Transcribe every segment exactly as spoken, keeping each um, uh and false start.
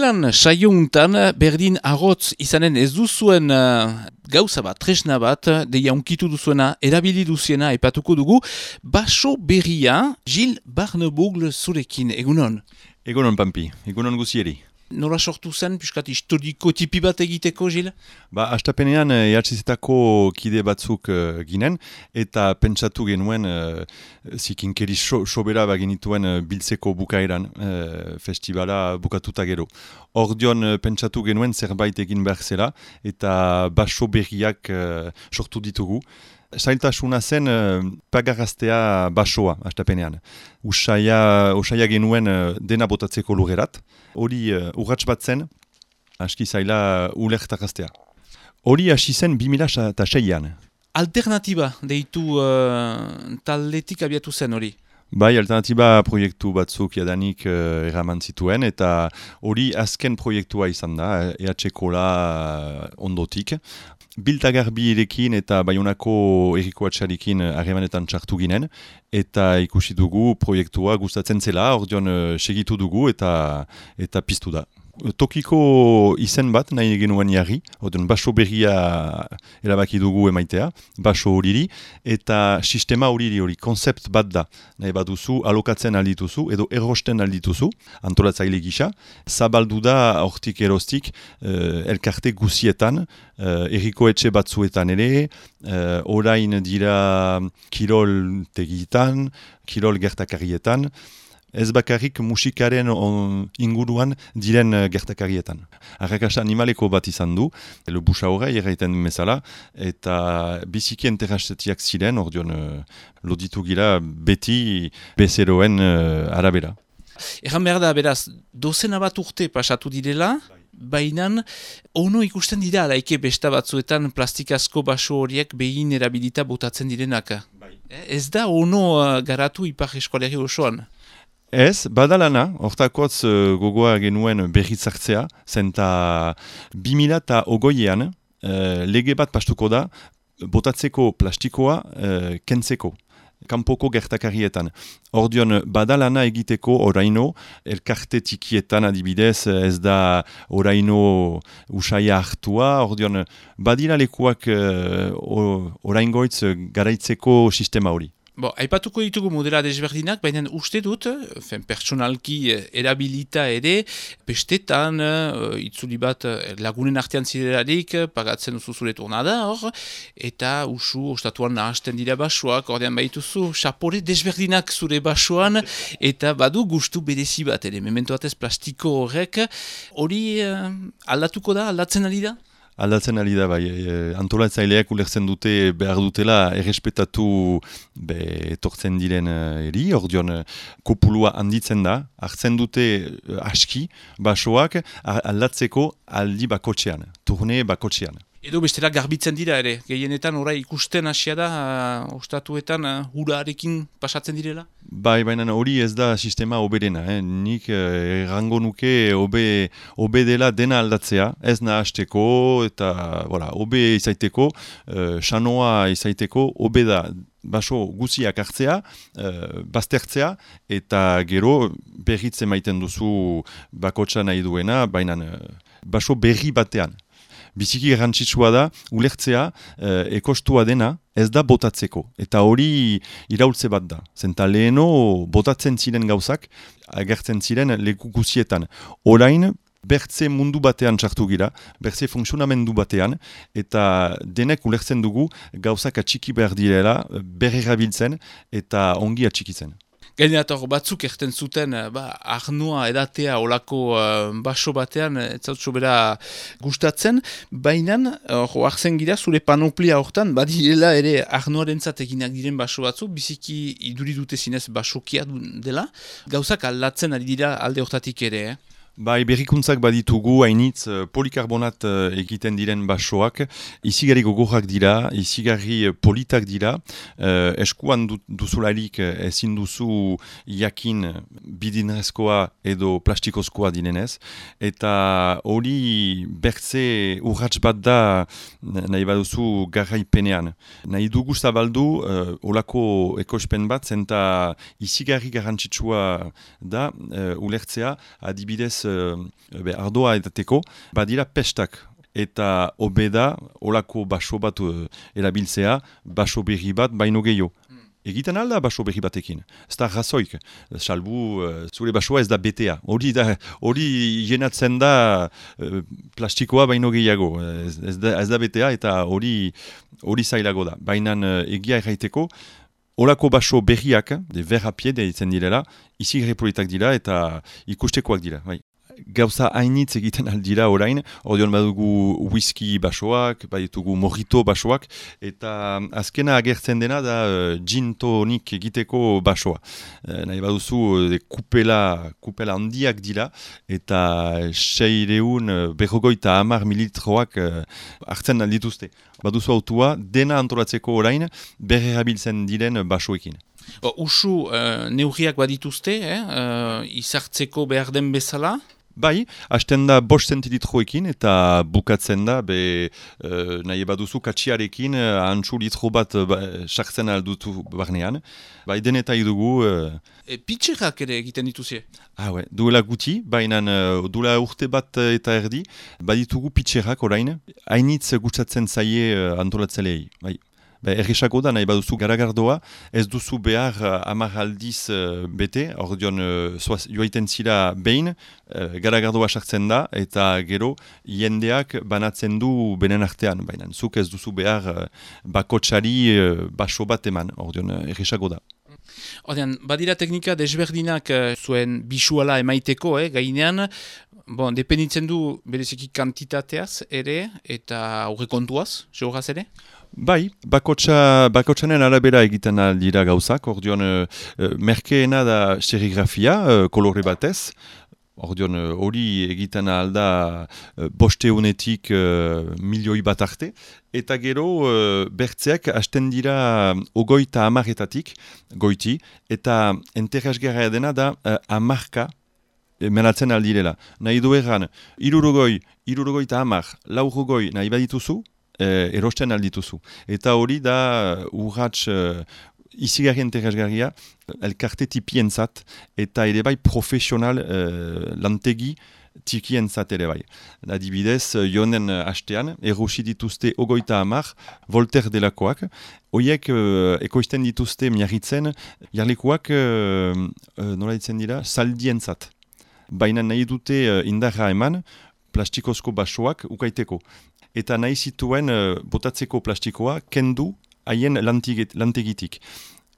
Ostelan saiountan berdin arrotz izanen ez duzuen uh, gauza bat, tresna bat, deia unkitu duzuena, erabili duziena epatuko dugu, baso berria, Gilles Barnebogle zurekin, egunon? Egunon, Pampi, egunon guzieri. Nola sortu zen, piskat historiko tipi bat egiteko, Gilles? Ba, astapenean E H Z-etako kide batzuk uh, ginen, eta pentsatu genuen uh, zikinkeri so, sobera bagenituen uh, biltzeko bukaeran uh, festivala bukatuta gero. Ordion uh, pentsatu genuen zerbait egin behar zela, eta baso berriak uh, sortu ditugu. Zailtasuna zen uh, pagaraztea basoa, astapenean. Usaia, usaia genuen uh, dena botatzeko lugerat. Hori uh, urratz bat zen, aski zaila ulertaraztea. Hori hasi zen bi mila seian. Alternatiba deitu uh, taldetik abiatu zen hori? Bai, alternatiba proiektu batzuk jadanik uh, eraman zituen, eta hori azken proiektua izan da, E H Kola uh, ondotik. Biltagarbirekin eta Baionako Eriko Atxarekin harremanetan txartu ginen, eta ikusi dugu proiektua gustatzen zela, ordion uh, segitu dugu eta eta piztu da. Tokiko izen bat nahi genuen jarri, ordion baso berria erabaki dugu emaitea, baso horiri, eta sistema horiri hori, konzept bat da, nahi bat duzu, alokatzen aldituzu, edo errosten aldituzu, antolatzaile gisa, zabaldu da hortik erostik, uh, elkarte guzietan, uh, erriko etxe batzuetan ere, uh, orain dira kirol tegitan, kirol gertakarietan, ez bakarrik musikaren on, inguruan diren uh, gertakarietan. Arrakasta animaleko bat izan du, le busa horrei erraiten bezala, eta biziki enterrastetiak ziren, ordion uh, loditu gira beti bezeroen uh, arabera. Egan behar da, beraz, dozena bat urte pasatu direla, baina ono ikusten dira, laike besta batzuetan plastikazko baso horiek behin erabilita botatzen direnak. Bai. Ez da ono uh, garatu ipar eskualeri osoan? Ez, badalana, hortakotz uh, gogoa genuen berritzartzea, zenta bi mila ogoiean uh, lege bat pastuko da botatzeko plastikoa uh, kentzeko, kanpoko gertakarietan. Ordion badalana egiteko oraino, elkarte tikietan adibidez ez da oraino usaia hartua, ordion badira lekuak uh, oraingoitz garaitzeko sistema hori. Bo, aipatuko ditugu modela desberdinak, baina uste dut, fen, pertsonalki erabilita ere, bestetan, uh, itzuli bat lagunen artean zirelarik, pagatzen duzu zure tornada hor, eta usu ostatuan nahasten dira basoak, ordean baituzu, sapore desberdinak zure basoan, eta badu gustu berezi bat ere, memento batez plastiko horrek, hori uh, aldatuko da, aldatzen ari da? Aldatzen ari da, bai, e, antolatzaileak ulertzen dute behar dutela errespetatu be, etortzen diren eri, ordion kopulua handitzen da, hartzen dute aski basoak aldatzeko aldi bakotxean, turne bakotxean. Edo bestela garbitzen dira ere, gehienetan orai ikusten hasia da, uh, ostatuetan uh, hurarekin pasatzen direla? Bai, baina hori ez da sistema oberena, eh? Nik eh, errango nuke obe, obe dela dena aldatzea, ez nahasteko eta voilà, obe izaiteko, uh, sanoa izaiteko, obe da baso guziak hartzea, uh, baztertzea, eta gero berritze maiten duzu bakotsa nahi duena, baina uh, baso berri batean. Biziki garrantzitsua da, ulertzea, eh, ekostua dena, ez da botatzeko. Eta hori iraultze bat da. Zenta leheno botatzen ziren gauzak, agertzen ziren leku guzietan. Orain, bertze mundu batean txartu gira, bertze funksionamendu batean, eta denek ulertzen dugu gauzak atxiki behar direla, berrerabiltzen eta ongi atxikitzen. Gainator batzuk erten zuten, ba, arnoa edatea olako uh, baso batean, ez zautso bera gustatzen, baina, hor, arzen gira, zure panoplia hortan, badirela ere arnoaren zatekinak diren baso batzuk, biziki iduri dute zinez basokia dela, gauzak aldatzen ari dira alde hortatik ere, eh? Bai, berrikuntzak baditugu, hainitz polikarbonat egiten diren basoak, izigarri gogorrak dira, izigarri politak dira, eh, eskuan du, duzularik ezin duzu jakin bidinrezkoa edo plastikozkoa dinenez, eta hori bertze urrats bat da nahi baduzu garraipenean. Nahi dugu zabaldu eh, olako ekospen bat, zenta izigarri garrantzitsua da, eh, ulertzea, adibidez uh, be, ardoa edateko, badira pestak. Eta obeda, olako baso bat uh, erabiltzea, baso berri bat baino gehiago. Egiten alda baso berri batekin. Ez da razoik. Salbu, uh, zure basoa ez da betea. Hori da, hori jenatzen da uh, plastikoa baino gehiago. Ez, ez, da, ez da betea eta hori hori zailago da. Baina uh, egia erraiteko, olako baso berriak, de verrapie deitzen direla, izi politak dira eta ikustekoak dira. Bai. Gauza hainitz egiten aldira orain, ordeon badugu whisky basoak, baditugu mojito basoak, eta azkena agertzen dena da uh, gin tonik egiteko basoa. Uh, nahi baduzu de kupela, kupela handiak dira, eta seireun uh, berrogoita hamar mililitroak uh, hartzen aldituzte. Baduzu autua, dena antolatzeko orain, berrerabiltzen diren basoekin. O, usu uh, neurriak badituzte, eh? uh, izartzeko behar den bezala? Bai, hasten da bost zentililitroekin eta bukatzen da, be, uh, nahi baduzu katxiarekin, uh, antxu litro bat sartzen uh, aldutu barnean. Bai, denetai dugu... Uh... E, pitxerrak ere egiten dituzie? Ah, ouais. Duela guti, baina uh, duela urte bat uh, eta erdi, baditugu pitxerrak orain, hainitz gustatzen zaie uh, antolatzelei. Bai. Errexako da, nahi baduzu garagardoa, ez duzu behar uh, hamar aldiz uh, bete, hor dion uh, joaiten zira behin, uh, garagardoa sartzen da, eta gero jendeak banatzen du benen artean, baina zuk ez duzu behar uh, bakotsari uh, baso bat eman, hor dion uh, errexako da. Ordean, badira teknika desberdinak uh, zuen bisuala emaiteko, eh, gainean, bon, dependitzen du bereziki kantitateaz ere, eta aurrekontuaz, seguraz ere? Bai, bakotsa, bakotsanen arabera egiten dira gauzak, ordion uh, merkeena da serigrafia, uh, kolore batez, ordion hori uh, egiten alda uh, bosteunetik uh, milioi bat arte, eta gero uh, bertzeak hasten dira ogoita amaretatik, goiti, eta enterrasgarra dena da uh, amarka menatzen aldirela. Nahi du erran, irurogoi, irurogoita amar, laurogoi nahi badituzu, Eh, erosten aldituzu. Eta hori da urratx uh, izigarri interesgarria elkarte tipientzat eta ere bai profesional uh, lantegi tikientzat ere bai. Adibidez, jonen hastean, erosi dituzte ogoita hamar, Voltaire delakoak, hoiek uh, ekoizten dituzte miarritzen, jarlikuak uh, uh, nola ditzen dira, saldientzat. Baina nahi dute uh, indarra eman, plastikozko basoak ukaiteko. Eta nahi zituen uh, botatzeko plastikoa kendu haien lantegitik.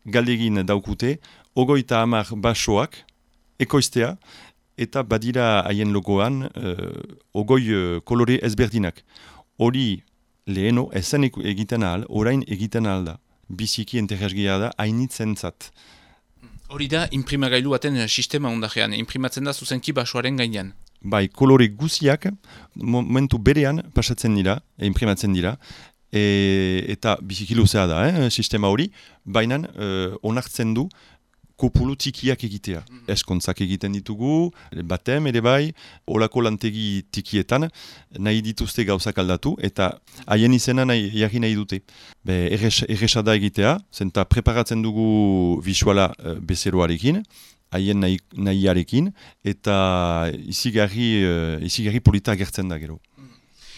Galdegin daukute, ogoita hamar basoak, ekoiztea, eta badira haien logoan uh, ogoi uh, kolore ezberdinak. Hori leheno ezen egiten ahal, orain egiten ahal da. Biziki enterresgia da, hainitzen zat. Hori da, imprimagailu baten sistema ondajean, imprimatzen da zuzenki basoaren gainean. Bai, kolore guziak momentu berean pasatzen dira, e, imprimatzen dira, e, eta biziki luzea da, eh, sistema hori, baina e, onartzen du kopulu tikiak egitea. Mm-hmm. Eskontzak egiten ditugu, batem ere bai, olako lantegi tikietan, nahi dituzte gauzak aldatu, eta haien izena nahi, jarri nahi dute. Be, erresa da egitea, zenta preparatzen dugu visuala e, bezeroarekin, haien nahi, nahiarekin, eta izigarri, uh, izigarri polita agertzen da gero.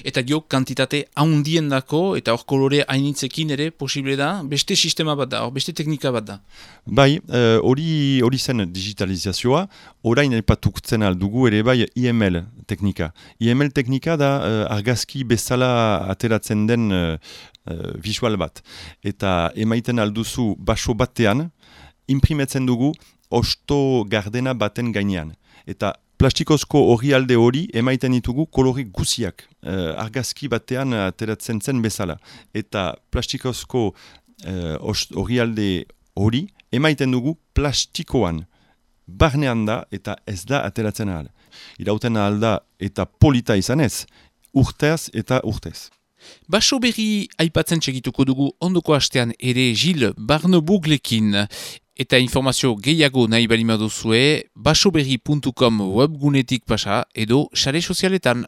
Eta dio, kantitate haundien dako, eta hor kolore hainitzekin ere posible da, beste sistema bat da, hor beste teknika bat da. Bai, hori uh, hori zen digitalizazioa, orain aipatutzen aldugu ere bai I M L teknika. I M L teknika da uh, argazki bezala ateratzen den uh, uh, visual bat. Eta emaiten alduzu baso batean, imprimetzen dugu osto gardena baten gainean. Eta plastikozko hori alde hori emaiten ditugu kolore guziak. Uh, argazki batean ateratzen zen bezala. Eta plastikozko hori uh, alde hori emaiten dugu plastikoan. Barnean da eta ez da ateratzen ahal. Irauten ahal da eta polita izanez, urtez eta urtez. Baso berri aipatzen txegituko dugu ondoko hastean ere Gilles Barnebuglekin. Eta informazio gehiago nahi bali maduzue, basoberri puntu com webgunetik pasa edo sare sozialetan.